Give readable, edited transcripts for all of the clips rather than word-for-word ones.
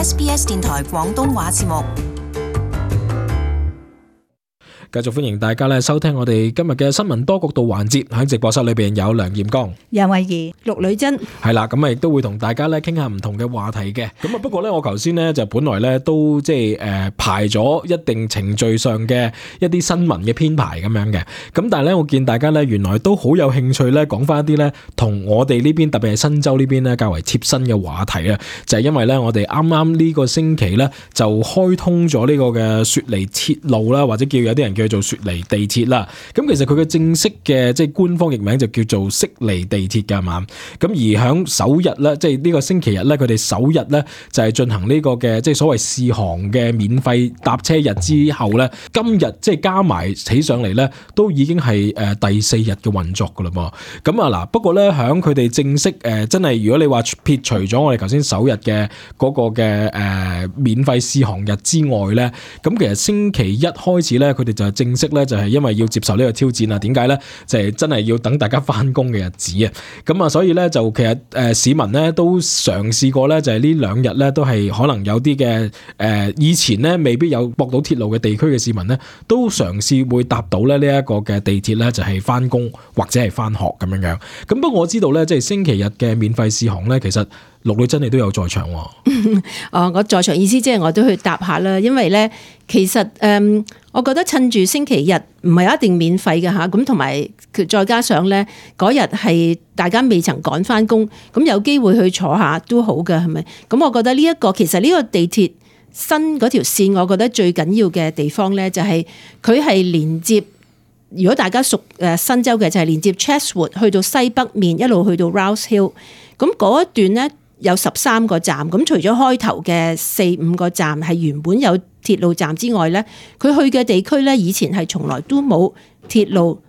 SBS 電台廣東話節目。繼續歡迎大家收聽我哋今日嘅新聞多角度環節，喺直播室裏邊有梁艷剛、楊慧儀、陸女珍，係啦，咁亦都會同大家傾下唔同嘅話題嘅。咁不過我頭先就本來都即係排咗一定程序上嘅一啲新聞嘅編排咁樣嘅。咁但係我見大家原來都好有興趣講翻一啲同我哋呢邊特別係新州呢邊較為貼身嘅話題啊，就係因為我哋啱啱呢個星期就開通咗呢個嘅雪梨鐵路啦，或者有啲人叫做雪梨地鐵啦。咁其實佢嘅正式嘅即係官方譯名就叫做悉尼地鐵㗎嘛。咁而響首日即係呢個星期日佢哋首日就係進行呢個嘅即係所謂試航嘅免費搭車日之後今日即係加埋起上嚟都已經係第4日嘅運作㗎啦噃。咁嗱，不過響佢哋正式真係如果你話撇除咗我哋頭先首日嘅嗰個嘅免費試航日之外咁其實星期一開始佢哋就係正式就係因為要接受呢個挑戰啊。點解就係真係要等大家翻工嘅日子啊。咁所以就其實市民都嘗試過就係呢兩日都係可能有啲嘅以前未必有駁到鐵路嘅地區嘅市民都嘗試會搭到呢一個嘅地鐵就係翻工或者係翻學咁樣。咁不過我知道即係星期日嘅免費試航其實陸女珍你都有在場喎。我在場意思即係我都去搭下啦，因為其實我覺得趁住星期日唔係一定免費嘅吓，咁同埋再加上嗰日係大家未曾趕翻工，咁有機會去坐下都好嘅，係咪？咁我覺得其實呢個地鐵新嗰條線，我覺得最緊要嘅地方就係佢係連接。如果大家熟新州嘅就係連接 Chatswood 去到西北面一路去到 Rouse Hill， 咁嗰一段有13個站，咁除咗開頭嘅4-5個站係原本有鐵路站之外佢去嘅地區以前係從來都冇鐵路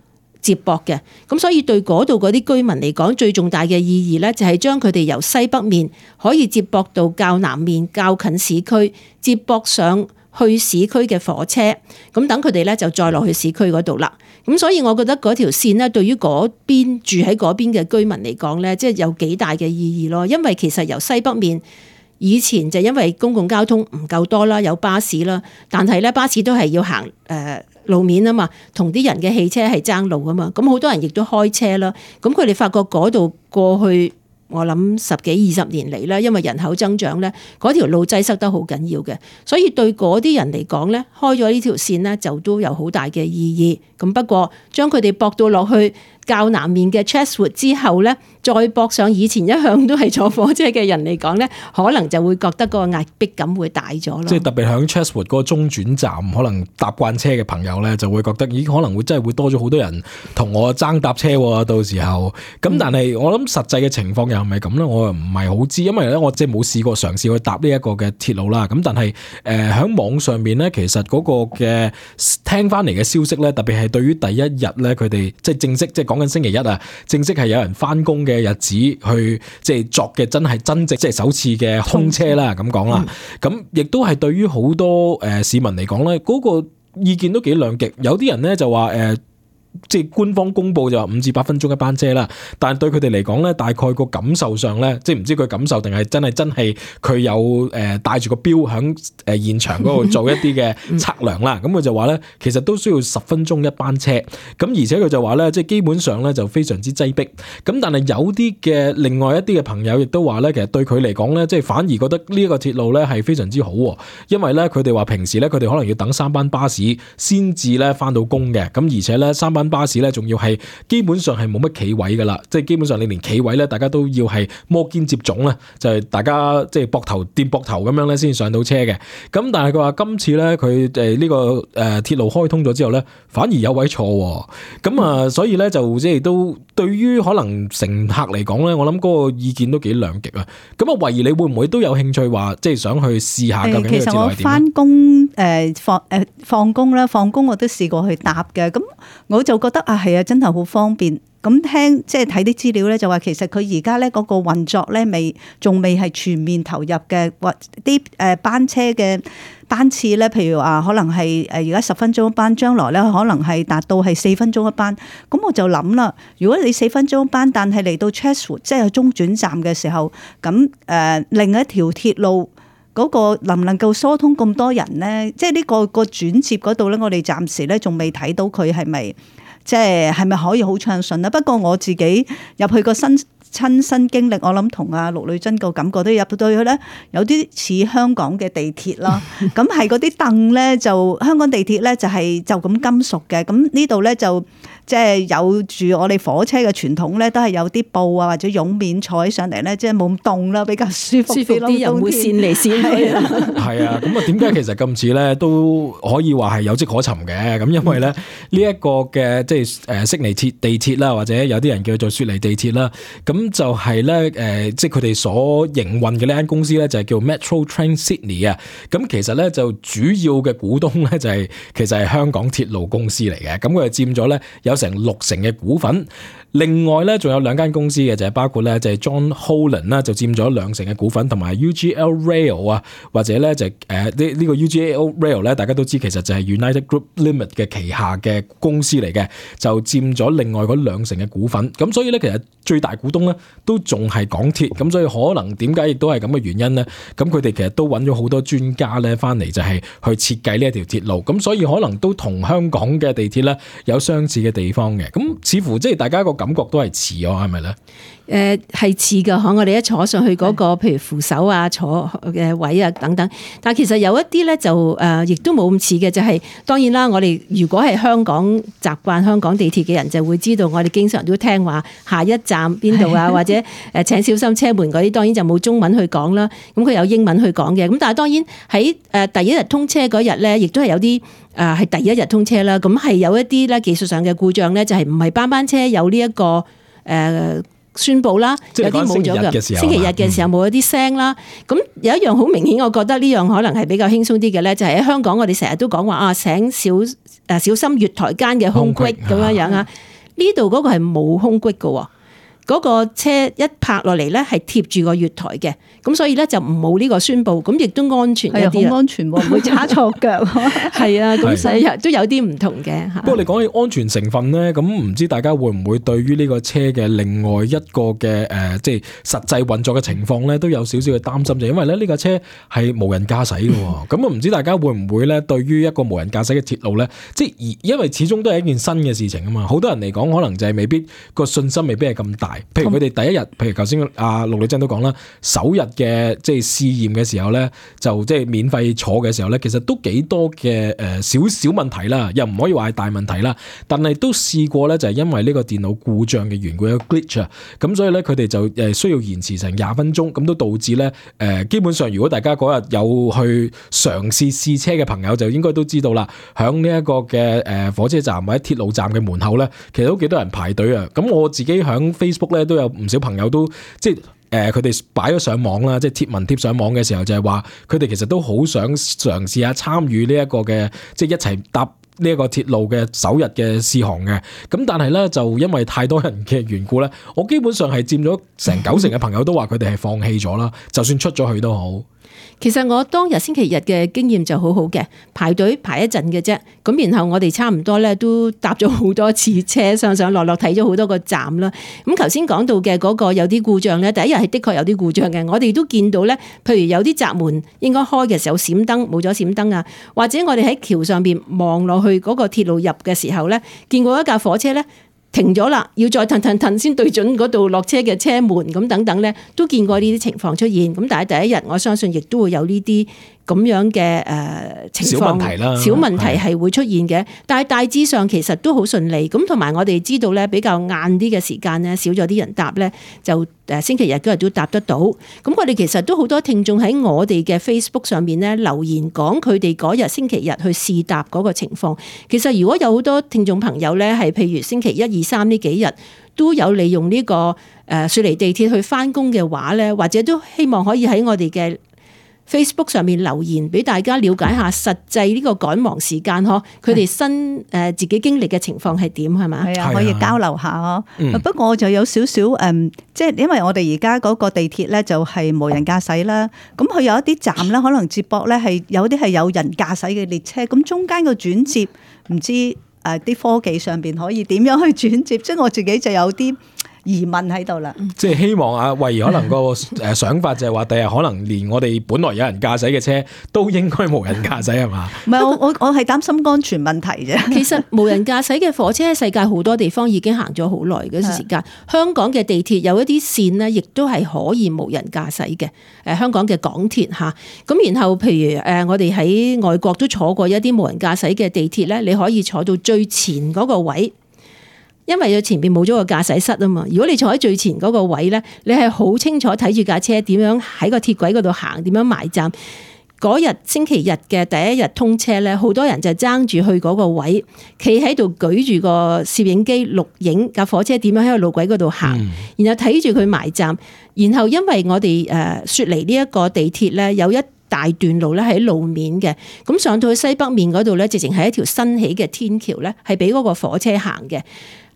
接駁嘅，咁所以對嗰度嗰啲居民嚟講，最重大嘅意義就係將佢哋由西北面可以接駁到較南面較近市區，接駁上去市區嘅火車，咁等佢哋就再落去市區嗰度啦。咁所以我覺得嗰條線對於嗰邊住喺嗰邊嘅居民嚟講即係有幾大嘅意義咯。因為其實由西北面以前就因為公共交通唔夠多啦，有巴士啦，但係巴士都係要行路面啊嘛，同啲人嘅汽車係爭路啊嘛。咁好多人亦都開車啦。咁佢哋發覺嗰度過去我諗10幾20年嚟因為人口增長嗰條路擠塞得好緊要嘅，所以對嗰啲人嚟講開咗呢條線就都有好大嘅意義。咁不過將佢哋駁到落去較南面嘅 Chatswood 之後再駁上以前一向都係坐火車嘅人嚟講可能就會覺得個壓迫感會大咗咯。即係特別響 Chatswood 嗰個中轉站，可能搭慣車嘅朋友就會覺得咦，可能會真係會多咗好多人同我爭搭車喎，到時候。咁但係我諗實際嘅情況又係咪咁咧？我又唔係好知，因為我即係冇試過嘗試去搭呢一個嘅鐵路啦。咁但係喺網上面其實嗰個嘅聽翻嚟嘅消息特別係對於第一日佢哋即係正式即係講緊星期一啊，正式係有人翻工嘅日子去即係作嘅真正即係首次嘅通車啦，咁講啦。咁亦都係對於好多市民嚟講嗰個意見都幾兩極，有啲人就話即係官方公布就話5至8分鐘一班車啦，但係對佢哋嚟講大概個感受上即係唔知佢感受定係真係佢有帶住個錶響現場嗰度做一啲嘅測量啦。咁佢就話其實都需要10分鐘一班車，咁而且佢就話即係基本上就非常之擠迫。咁但係有啲嘅另外一啲嘅朋友亦都話其實對佢嚟講即係反而覺得呢一個鐵路係非常之好，因為佢哋話平時佢哋可能要等3班巴士先至翻到工嘅，咁而且3班巴士仲要係基本上係冇乜企位噶啦，即係基本上你連企位大家都要係摩肩接踵就係大家即係膊頭掂膊頭咁樣先上到車嘅。咁但係佢話今次佢呢個鐵路開通咗之後反而有位坐，咁所以就即係都對於可能乘客嚟講我諗嗰個意見都幾兩極啊。咁啊，慧儀你會唔會都有興趣話即係想去試下究竟呢個鐵路係點？其實我翻工放工啦，放工我都試過去搭嘅，咁我就覺得係啊，真係好方便。咁即係睇啲資料咧，就話其實佢而家咧嗰個運作咧仲未係全面投入嘅，或啲班車嘅班次咧，譬如話可能係而家10分鐘一班，將來咧可能係達到係4分鐘一班。咁我就諗啦，如果你4分鐘一班，但係嚟到 Chatswood 即係中轉站嘅時候，咁另一條鐵路嗰個能唔能夠疏通咁多人咧？即係呢個轉接嗰度咧，我哋暫時咧仲未睇到佢係咪係咪可以好暢順啦？不過我自己入去個親身經歷，我諗同阿陸女真個感覺都入到去咧，有啲似香港嘅地鐵啦。咁係嗰啲凳咧，就香港地鐵咧就係就咁金屬嘅，咁呢度咧就即係有住我哋火車嘅傳統咧，都係有啲布啊或者絨面坐起上嚟咧，即係冇咁凍啦，比較舒服啲，又唔會跣嚟跣去啊。係啊，咁啊點解其實咁似咧都可以話係有跡可尋嘅？咁因為咧呢一個嘅即係悉尼地鐵啦，或者有啲人叫做雪梨地鐵啦，咁就係咧即係佢哋所營運嘅呢間公司咧，就係叫 Metro Trains Sydney 啊。咁其實咧就主要嘅股東咧就係其實係香港鐵路公司嚟嘅。咁佢就佔咗咧有成60%嘅股份。另外咧仲有2間公司嘅，就係包括咧就係 John Holland 啦，就佔咗20%嘅股份，同埋 UGL Rail 啊，或者咧就呢個 UGL Rail 咧，大家都知其實就係 United Group Limit 嘅旗下嘅公司嚟嘅，就佔咗另外嗰20%嘅股份。咁所以咧其實最大股東咧都仲係港鐵，咁所以可能點解亦都係咁嘅原因咧？咁佢哋其實都揾咗好多專家咧翻嚟，就係去設計呢一條鐵路，咁所以可能都同香港嘅地鐵咧有相似嘅地方嘅。咁似乎即係大家個感覺都係似喎，係咪咧？係似㗎，我哋一坐上去嗰個，譬如扶手啊、坐嘅位啊等等。但係其實有一啲咧就亦都冇咁似嘅，就係當然啦。我哋如果係香港習慣香港地鐵嘅人，就會知道我哋經常都聽話下一站邊度啊，或者請小心車門嗰啲，當然就冇中文去講啦。咁佢有英文去講嘅。咁但係當然喺第一日通車嗰日咧，亦都係有啲係第一日通車啦。咁係有一啲咧技術上嘅故障咧，就係唔係班車有呢一個宣佈啦，有啲冇咗嘅。星期日嘅時候冇一啲聲啦。咁有一樣好明顯，我覺得呢樣可能係比較輕鬆啲嘅咧，就係喺香港我哋成日都講話請小心月台間嘅空隙咁樣樣啊。呢度嗰個係冇空隙嘅。嗰個車一拍落嚟咧，係貼住個月台嘅，咁所以咧就唔冇呢個宣佈，咁亦都安全一啲，好安全喎，唔會叉錯腳。係啊，咁所以都有啲唔同嘅。不過你講起安全成分咧，咁唔知大家會唔會對於呢個車嘅另外一個嘅即係實際運作嘅情況咧，都有少少嘅擔心，就因為咧呢個車係無人駕駛嘅喎，咁啊唔知大家會唔會咧對於一個無人駕駛嘅鐵路咧，即係因為始終都係一件新嘅事情啊嘛，好多人嚟講可能就係未必個信心未必係咁大。譬如佢哋第一日，譬如頭先阿陸女真都講啦，首日嘅即係試驗嘅時候咧，就即係免費坐嘅時候咧，其實都幾多嘅少少問題啦，又唔可以話係大問題啦。但係都試過咧，就係因為呢個電腦故障嘅緣故有 glitch 啊，咁所以咧佢哋就需要延遲成20分鐘，咁都導致咧基本上如果大家嗰日有去嘗試試車嘅朋友，就應該都知道啦，響呢一個嘅火車站或者鐵路站嘅門口咧，其實都幾多人排隊啊。咁我自己響 Facebook 咧都有唔少朋友都即係佢哋擺咗上網啦，即係貼文貼上網嘅時候就係話佢哋其實都好想嘗試下參與呢一個嘅即係一齊搭呢一個鐵路嘅首日嘅試航嘅。咁但係咧就因為太多人嘅緣故咧，我基本上係佔咗成90%嘅朋友都話佢哋係放棄咗啦，就算出咗去都好。其實我當日星期日嘅經驗就好好嘅，排隊排一陣嘅啫，咁然後我哋差唔多咧都搭咗好多次車，上上落落睇咗好多個站啦。咁頭先講到嘅嗰個有啲故障咧，第一日係的確有啲故障嘅，我哋都見到咧，譬如有啲閘門應該開嘅時候閃燈冇咗閃燈啊，或者我哋喺橋上邊望落去嗰個鐵路入嘅時候咧，見過一架火車咧停咗啦，要再騰先對準嗰度落車嘅車門咁等等咧，都見過呢啲情況出現。咁但係第一日我相信亦都會有呢啲咁樣嘅情況，小問題係會出現嘅。但係大致上其實都好順利。咁同埋我哋知道咧，比較晏啲嘅時間咧，少咗啲人搭咧，就星期日嗰日都搭得到。咁我哋其實都好多聽眾喺我哋嘅 Facebook 上面咧留言講佢哋嗰日星期日去試搭嗰個情況。其實如果有好多聽眾朋友咧係譬如星期1、2、3呢幾日都有利用呢個雪梨地鐵去返工嘅話咧，或者都希望可以喺我哋嘅Facebook 上面留言俾大家了解下實際呢個趕忙時間呵，佢哋新自己經歷嘅情況係點係嘛？係啊，可以交流下呵。不過我就有少少即係因為我哋而家嗰個地鐵咧就係無人駕駛啦，咁佢有一啲站咧可能接駁咧係有啲係有人駕駛嘅列車，咁中間個轉接唔知啲科技上邊可以點樣去轉接？即係我自己就有啲疑問喺度啦。即係希望阿慧怡可能個想法就係話，第日可能連我哋本來有人駕駛嘅車都應該無人駕駛係嘛？唔係我係擔心安全問題啫。其實無人駕駛嘅火車喺世界好多地方已經行咗好耐嘅時間。香港嘅地鐵有一啲線呢，亦都係可以無人駕駛嘅。香港嘅港鐵嚇，咁然後譬如我哋喺外國都坐過一啲無人駕駛嘅地鐵咧，你可以坐到最前嗰個位。因為佢前邊冇咗個駕駛室啊嘛，如果你坐喺最前嗰個位咧，你係好清楚睇住架車點樣喺個鐵軌嗰度行，點樣埋站。嗰日星期日嘅第一日通車咧，好多人就爭住去嗰個位，企喺度舉住個攝影機錄影架火車點樣喺個路軌嗰度行，然後睇住佢埋站。然後因為我哋雪梨呢一個地鐵咧，有一大段路咧喺路面嘅，咁上到去西北面嗰度咧，直情係一條新起嘅天橋咧，係俾嗰個火車行嘅。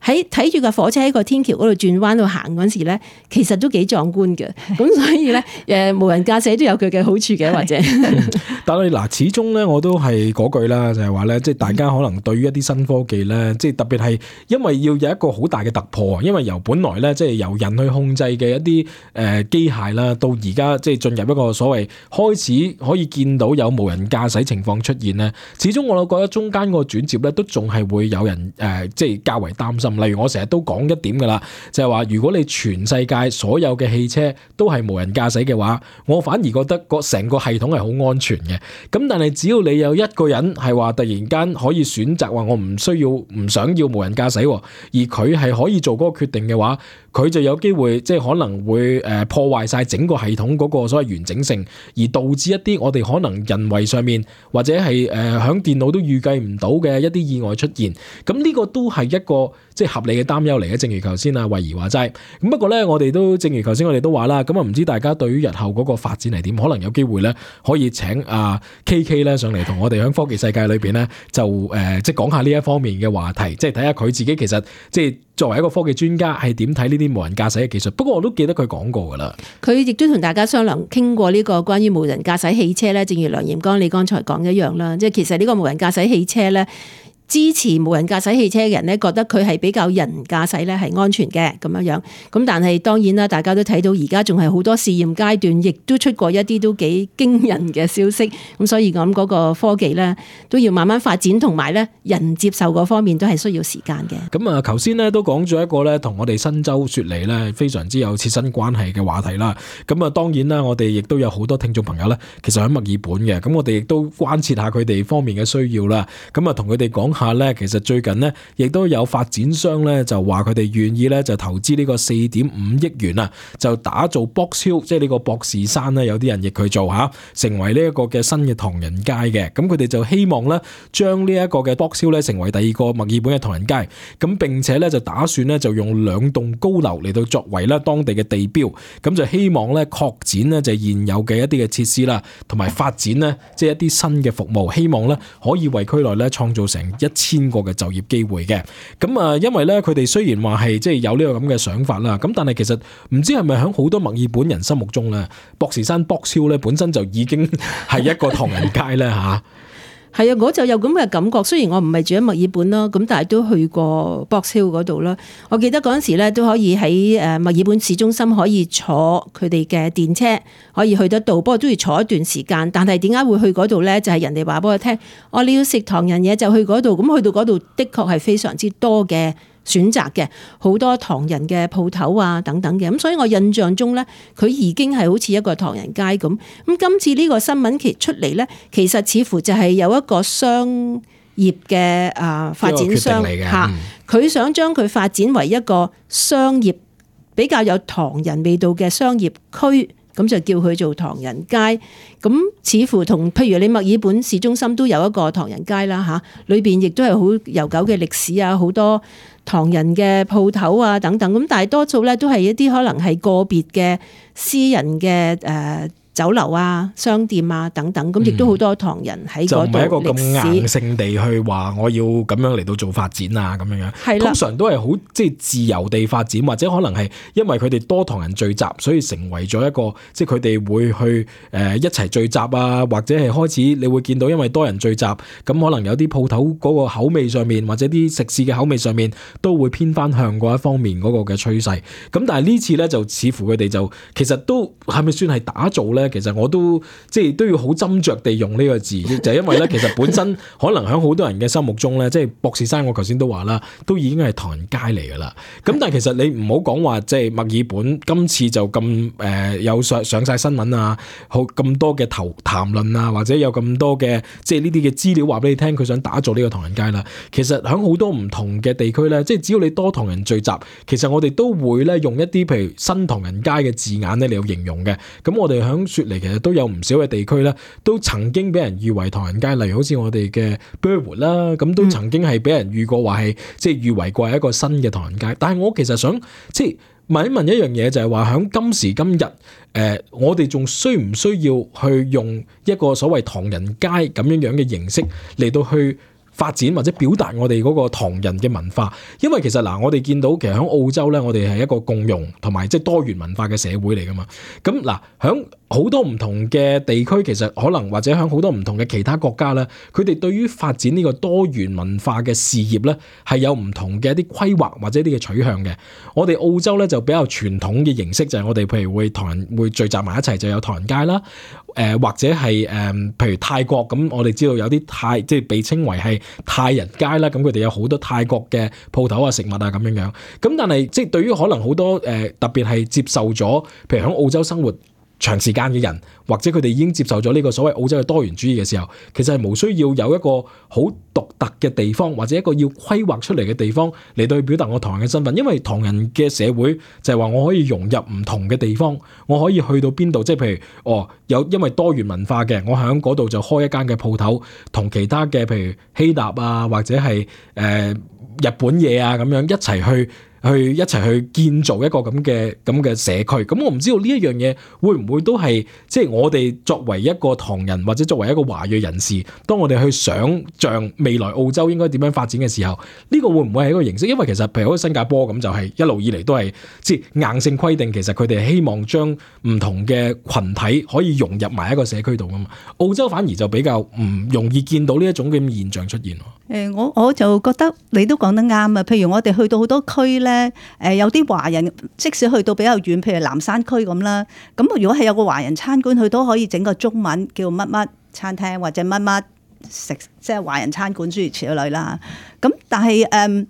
喺睇住個火車喺個天橋嗰度轉彎度行嗰時咧，其實都幾壯觀嘅。咁所以咧，無人駕駛都有佢嘅好處嘅，或者。但係嗱，始終咧我都係嗰句啦，就係話咧，即係大家可能對於一啲新科技咧，即係特別係因為要有一個好大嘅突破，因為由本來咧即係由人去控制嘅一啲機械啦，到而家即係進入一個所謂開始可以見到有無人駕駛情況出現咧，始終我覺得中間個轉接咧都仲係會有人即係較為擔心。例如我成日都講一點㗎啦，就係話如果你全世界所有嘅汽車都係無人駕駛嘅話，我反而覺得成個系統係好安全嘅。咁但係只要你有一個人係話突然間可以選擇話我唔想要無人駕駛，而佢係可以做嗰個決定嘅話，佢就有機會即係可能會破壞晒整個系統嗰個所謂完整性，而導致一啲我哋可能人為上面或者係響電腦都預計唔到嘅一啲意外出現。咁呢個都係一個即係合理嘅擔憂嚟嘅。正如頭先阿慧怡話齋，咁不過咧我哋都正如頭先我哋都話啦，咁啊唔知大家對於日後嗰個發展係點？可能有機會咧可以請阿 KK 咧上嚟同我哋喺科技世界裏邊咧就即係講下呢一方面嘅話題，即係睇下佢自己其實即係作為一個科技專家係點睇呢啲無人駕駛嘅技術。不過我都記得佢講過噶啦，佢亦都同大家商量傾過呢個關於無人駕駛汽車咧，正如梁炎剛你剛才講一樣啦，即係其實呢個無人駕駛汽車咧，支持無人駕駛汽車嘅人咧，覺得佢係比較人駕駛咧係安全嘅咁樣。咁但係當然啦，大家都睇到而家仲係好多試驗階段，亦都出過一啲都幾驚人嘅消息。咁所以我諗嗰個科技咧都要慢慢發展，同埋咧人接受嗰方面都係需要時間嘅。咁啊，頭先咧都講咗一個咧同我哋新州雪梨咧非常之有切身關係嘅話題啦。咁啊，當然啦，我哋亦都有好多聽眾朋友咧，其實喺墨爾本嘅，咁我哋亦都關切下佢哋方面嘅需要啦。咁啊，同佢哋講下咧，其實最近呢，亦都有發展商咧就話佢哋願意咧就投資呢個4.5億元啊，就打造 Box Hill，即係呢個博士山咧，有啲人亦佢做吓，成為呢一個嘅新嘅唐人街嘅。咁佢哋就希望咧將呢一個嘅 Box Hill 咧成為第二個墨爾本嘅唐人街。咁並且咧就打算咧就用2棟高樓嚟到作為咧當地嘅地標。咁就希望咧擴展咧就現有嘅一啲嘅設施啦，同埋發展咧即係一啲新嘅服務，希望咧可以為區內咧創造成1000個嘅就業機會嘅。咁啊，因為咧佢哋雖然話係即係有呢個咁嘅想法啦，咁但係其實唔知係咪喺好多墨爾本人心目中咧，博士山 Box Hill 咧本身就已經係一個唐人街咧吓。係啊，我就有咁嘅感覺。雖然我唔係住喺墨爾本啦，咁但係都去過 Box Hill 嗰度啦。我記得嗰陣時咧都可以喺墨爾本市中心可以坐佢哋嘅電車可以去得到，不過都要坐一段時間。但係點解會去嗰度咧？就係人哋話俾我聽，你要食唐人嘢就去嗰度。咁去到嗰度的確係非常之多嘅選擇嘅，好多唐人嘅鋪頭啊等等嘅。咁所以我印象中咧，佢已經係好似一個唐人街咁。咁今次呢個新聞其出嚟咧，其實似乎就係有一個商業嘅發展商嚇，佢想將佢發展為一個商業比較有唐人味道嘅商業區。咁就叫佢做唐人街，咁似乎同譬如你墨爾本市中心都有一個唐人街啦嚇，裏邊亦都係好悠久嘅歷史啊，好多唐人嘅鋪頭啊等等，咁但係多數咧都係一啲可能係個別嘅私人嘅酒樓啊、商店啊等等，咁亦都好多唐人喺嗰度。就唔係一個咁硬性地去話我要咁樣嚟到做發展啊咁樣。係啦，通常都係好即係自由地發展，或者可能係因為佢哋多唐人聚集，所以成為咗一個即係佢哋會去一齊聚集啊，或者係開始你會見到因為多人聚集，咁可能有啲鋪頭嗰個口味上面，或者啲食肆嘅口味上面都會偏翻向嗰一方面嗰個嘅趨勢。咁但係呢次咧就似乎佢哋就其實都係咪算係打造咧？其實我都即係都要好斟酌地用呢個字，就係因為咧其實本身可能喺好多人嘅心目中咧，即係博士山我頭先都話啦，都已經係唐人街嚟噶啦。咁但係其實你唔好講話即係墨爾本今次就咁有上晒新聞啊，好咁多嘅談論啊，或者有咁多嘅即係呢啲嘅資料話俾你聽，佢想打造呢個唐人街啦。其實喺好多唔同嘅地區咧，即係只要你多唐人聚集，其實我哋都會咧用一啲譬如新唐人街嘅字眼咧嚟形容嘅。咁我哋喺雪梨其實都有唔少嘅地區咧，都曾經俾人譽為唐人街，例如好似我哋嘅 Burwood 啦，咁都曾經係俾人譽過話係即係譽為過係一個新嘅唐人街。但係我其實想即係問一問一樣嘢，就係話喺今時今日，我哋仲需唔需要去用一個所謂唐人街咁樣嘅形式嚟到去發展或者表達我哋嗰個唐人嘅文化？因為其實嗱，我哋見到其實喺澳洲咧，我哋係一個共融同埋即係多元文化嘅社會嚟噶嘛。咁嗱，喺好多唔同嘅地區，其實可能或者喺好多唔同嘅其他國家咧，佢哋對於發展呢個多元文化嘅事業咧，係有唔同嘅一啲規劃或者一啲嘅取向嘅。我哋澳洲咧就比較傳統嘅形式，就係我哋譬如會唐人會聚集埋一齊，就有唐人街啦。或者係譬如泰國咁，我哋知道有啲即係被稱為係泰人街啦。咁佢哋有好多泰國嘅鋪頭啊、食物啊咁樣樣。咁但係即係對於可能好多特別係接受咗，譬如喺澳洲生活長時間嘅人，或者佢哋已經接受咗呢個所謂澳洲嘅多元主義嘅時候，其實係無需要有一個好獨特嘅地方，或者一個要規劃出嚟嘅地方嚟到去表達我唐人嘅身份。因為唐人嘅社會就係話我可以融入唔同嘅地方，我可以去到邊度，即係譬如因為多元文化嘅，我喺嗰度就開一間嘅鋪頭，同其他嘅譬如希臘啊，或者係日本嘢啊咁樣一齊去建造一個咁嘅社區。咁我唔知道呢一樣嘢會唔會都係即係我哋作為一個唐人或者作為一個華裔人士，當我哋去想像未來澳洲應該點樣發展嘅時候，呢個會唔會係一個形式？因為其實譬如好似新加坡咁，就係一路以嚟都係即係硬性規定，其實佢哋係希望將唔同嘅群體可以融入埋一個社區度噶嘛。澳洲反而就比較唔容易見到呢一種嘅現象出現。我就覺得你都講得啱啊！譬如我哋去到好多區咧，有啲華人，即使去到比較遠，譬如南山區咁啦，咁如果係有個華人餐館，佢都可以整個中文叫乜乜餐廳或者乜乜食，即係華人餐館諸如此類啦。咁但係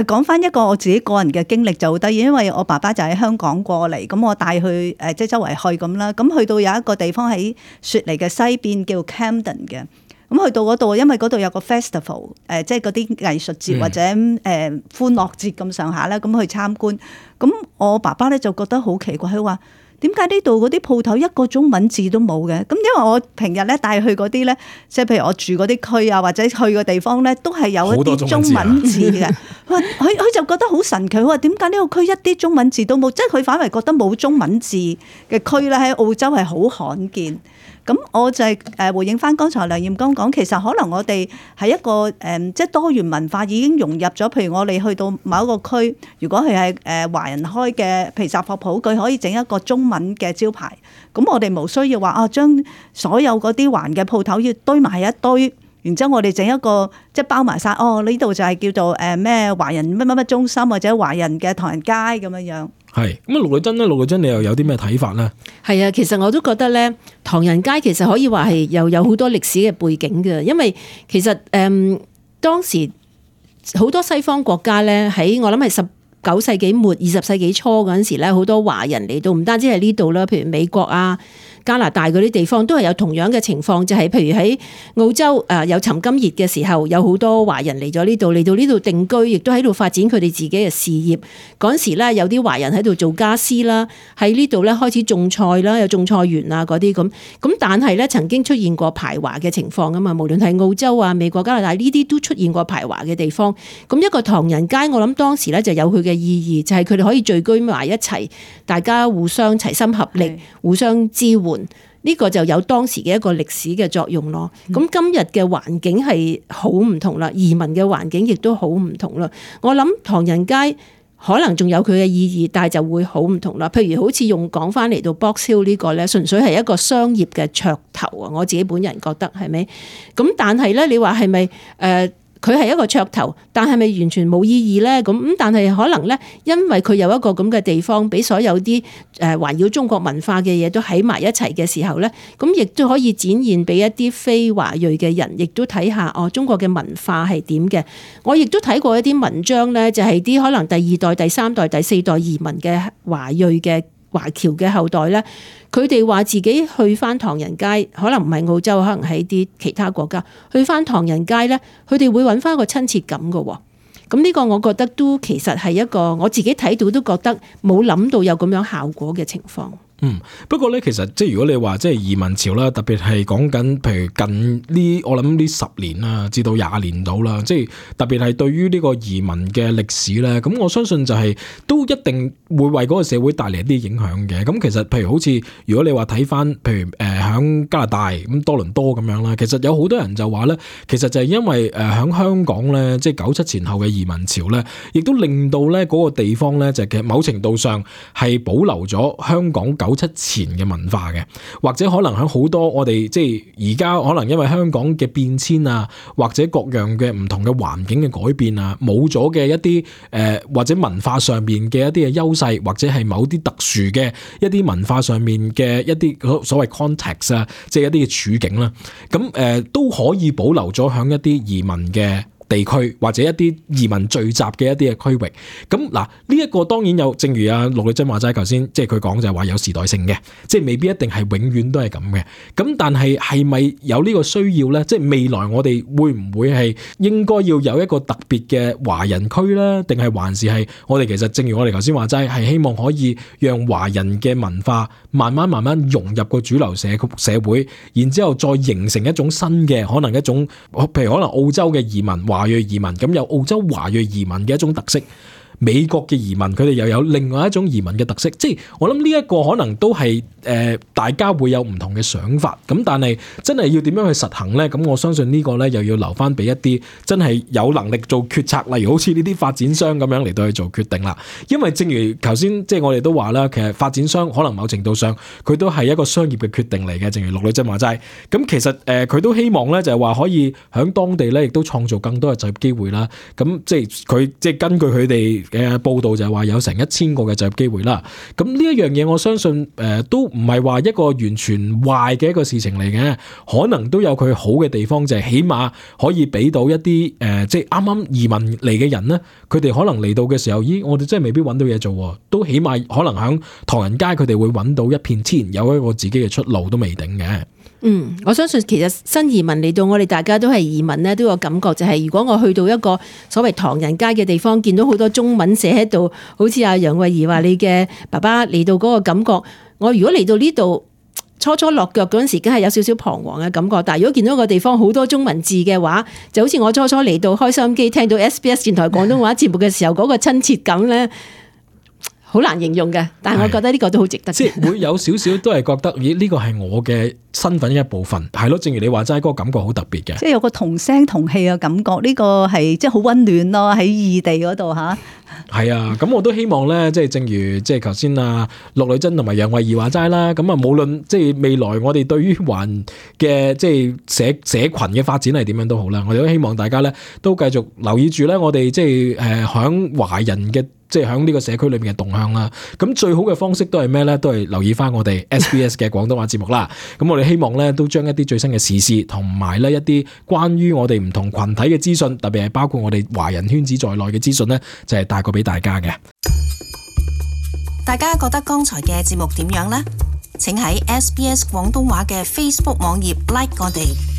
講翻一個我自己個人嘅經歷就好得意，因為我爸爸就喺香港過嚟，咁我帶佢即係周圍去咁啦。咁去到有一個地方喺雪梨嘅西邊叫 Camden 嘅。咁去到嗰度，因為嗰度有個 festival， 即係嗰啲藝術節或者歡樂節咁上下啦，咁去參觀。咁我爸爸咧就覺得好奇怪，佢話點解呢度嗰啲鋪頭一個中文字都冇嘅？咁因為我平日咧帶去嗰啲咧，即係譬如我住嗰啲區啊，或者去嘅地方咧，都係有一啲中文字嘅。佢就覺得好神奇，佢話點解呢個區一啲中文字都冇？即係佢反為覺得冇中文字嘅區咧喺澳洲係好罕見。咁我就係回應翻剛才梁艷剛講，其實可能我哋係一個即係多元文化已經融入咗。譬如我哋去到某一個區，如果佢係華人開嘅，譬如雜貨鋪，佢可以整一個中文嘅招牌。咁我哋冇需要話將所有嗰啲華人嘅鋪頭要堆埋一堆，然之後我哋整一個即係包埋晒。呢度就係叫做咩華人乜乜乜中心或者華人嘅唐人街咁樣樣。係咁啊，陸女珍你又有啲咩睇法咧？係啊，其實我都覺得咧，唐人街其實可以話係又有好多歷史嘅背景嘅，因為其實當時好多西方國家咧，喺我諗係19世紀末20世紀初嗰陣時咧，好多華人嚟到，唔單止係呢度啦，譬如美國啊、加拿大嗰啲地方都係有同樣嘅情況，就係譬如喺澳洲有尋金熱嘅時候，有好多華人嚟咗呢度，嚟到呢度定居，亦都喺度發展佢哋自己嘅事業。嗰陣時咧，有啲華人喺度做家私啦，喺呢度咧開始種菜啦，有種菜園啊嗰啲咁。咁但係咧曾經出現過排華嘅情況啊嘛，無論係澳洲啊、美國、加拿大呢啲都出現過排華嘅地方。咁一個唐人街，我諗當時咧就有佢嘅意義，就係佢哋可以聚居埋一齊，大家互相齊心合力，互相支援。呢個就有當時嘅一個歷史嘅作用咯。咁今日嘅環境係好唔同啦，移民嘅環境亦都好唔同啦。我諗唐人街可能仲有佢嘅意義，但係就會好唔同啦。譬如好似用講翻嚟到 Box Hill 呢個咧，純粹係一個商業嘅噱頭啊！我自己本人覺得係咪？咁但係咧，你話係咪佢係一個噱頭，但係咪完全冇意義咧？咁但係可能咧，因為佢有一個咁嘅地方，俾所有啲環繞中國文化嘅嘢都喺埋一齊嘅時候咧，咁亦都可以展現俾一啲非華裔嘅人，亦都睇下中國嘅文化係點嘅。我亦都睇過一啲文章咧，就係啲可能第二代、第三代、第四代移民嘅華裔嘅華僑嘅後代咧，佢哋話自己去翻唐人街，可能唔係澳洲，可能喺啲其他國家去翻唐人街咧，佢哋會揾翻個親切感㗎喎。咁呢個我覺得都其實係一個我自己睇到都覺得冇諗到有咁樣效果嘅情況。不過咧，其實即係如果你話即係移民潮啦，特別係講緊譬如近呢，我諗呢10年啦，至到20年到啦，即係特別係對於呢個移民嘅歷史咧，咁我相信就係都一定會為嗰個社會帶嚟一啲影響嘅。咁其實譬如好似如果你話睇翻譬如響加拿大咁多倫多咁樣啦，其實有好多人就話咧，其實就係因為響香港咧，即係97前後嘅移民潮咧，亦都令到咧嗰個地方咧就其實某程度上係保留咗香港97前嘅文化嘅，或者可能喺好多我哋即係而家可能因為香港嘅變遷啊，或者各樣嘅唔同嘅環境嘅改變啊，冇咗嘅一啲或者文化上面嘅一啲嘅優勢，或者係某啲特殊嘅一啲文化上面嘅一啲所謂 context 啊，即係一啲嘅處境啦，咁都可以保留咗喺一啲移民嘅地區或者一啲移民聚集嘅一啲嘅區域，咁嗱呢一個當然有，正如阿陸女珍話齋頭先，即係佢講就係話有時代性嘅，即係未必一定係永遠都係咁嘅。咁但係係咪有呢個需要咧？即係未來我哋會唔會係應該要有一個特別嘅華人區咧？定係還是係我哋其實正如我哋頭先話齋，係希望可以讓華人嘅文化慢慢融入個主流社會，然之後再形成一種新嘅可能一種，譬如可能澳洲嘅移民。華裔移民咁有澳洲華裔移民嘅一種特色，美國嘅移民佢哋又有另外一種移民嘅特色，即係我諗呢一個可能都係大家會有唔同嘅想法，咁但係真係要點樣去實行呢？咁我相信呢個呢，又要留翻俾一啲真係有能力做決策，例如好似呢啲發展商咁樣嚟到去做決定啦。因為正如頭先即係我哋都話啦，其實發展商可能某程度上佢都係一個商業嘅決定嚟嘅，正如陸女珍話齋。咁其實佢都希望呢，就係話可以喺當地呢，亦都創造更多嘅就業機會啦。咁即係佢即係根據佢哋嘅報道就係話有成1000個嘅就業機會啦。咁呢一樣嘢我相信都唔係話一個完全壞嘅一個事情嚟嘅，可能都有佢好嘅地方，就係起碼可以俾到一啲即係啱啱移民嚟嘅人咧，佢哋可能嚟到嘅時候，咦，我哋真係未必揾到嘢做，都起碼可能喺唐人街佢哋會揾到一片天，有一個自己嘅出路都未定嘅。我相信其實新移民嚟到，我哋大家都係移民咧，都有感覺就係如果我去到一個所謂唐人街嘅地方，見到好多中文寫喺度，好似阿楊慧儀話你嘅爸爸嚟到嗰個感覺，我如果嚟到呢度初落腳嗰陣時，梗係有少少彷徨嘅感覺。但係如果見到個地方好多中文字嘅話，就好似我初嚟到開收音機聽到 SBS 電台廣東話節目嘅時候，嗰個親切感咧，好難形容嘅。但係我覺得呢個都好值得，即係會有少少都係覺得，咦，呢個係我嘅身份一部分，係咯。正如你話齋，嗰個感覺好特別嘅，即係有個同聲同氣嘅感覺。呢個係即係好溫暖咯，喺異地嗰度吓。係啊，咁我都希望咧，即係正如即係頭先啊陸女珍同埋楊慧儀話齋啦。咁啊，無論即係未來我哋對於環嘅即係社群嘅發展係點樣都好啦，我哋都希望大家咧都繼續留意住咧，我哋即係響華人嘅即係響呢個社區裏面嘅動向啦。咁最好嘅方式都係咩咧？都係留意翻我哋 SBS 嘅廣東話節目啦。咁我哋希望咧都將一啲最新嘅時事同埋咧一啲關於我哋唔同群體嘅資訊，特別係包括我哋華人圈子在內嘅資訊咧，就係帶過俾大家嘅。大家覺得剛才嘅節目點樣呢？請喺 SBS 廣東話嘅 Facebook 網頁 like 我哋。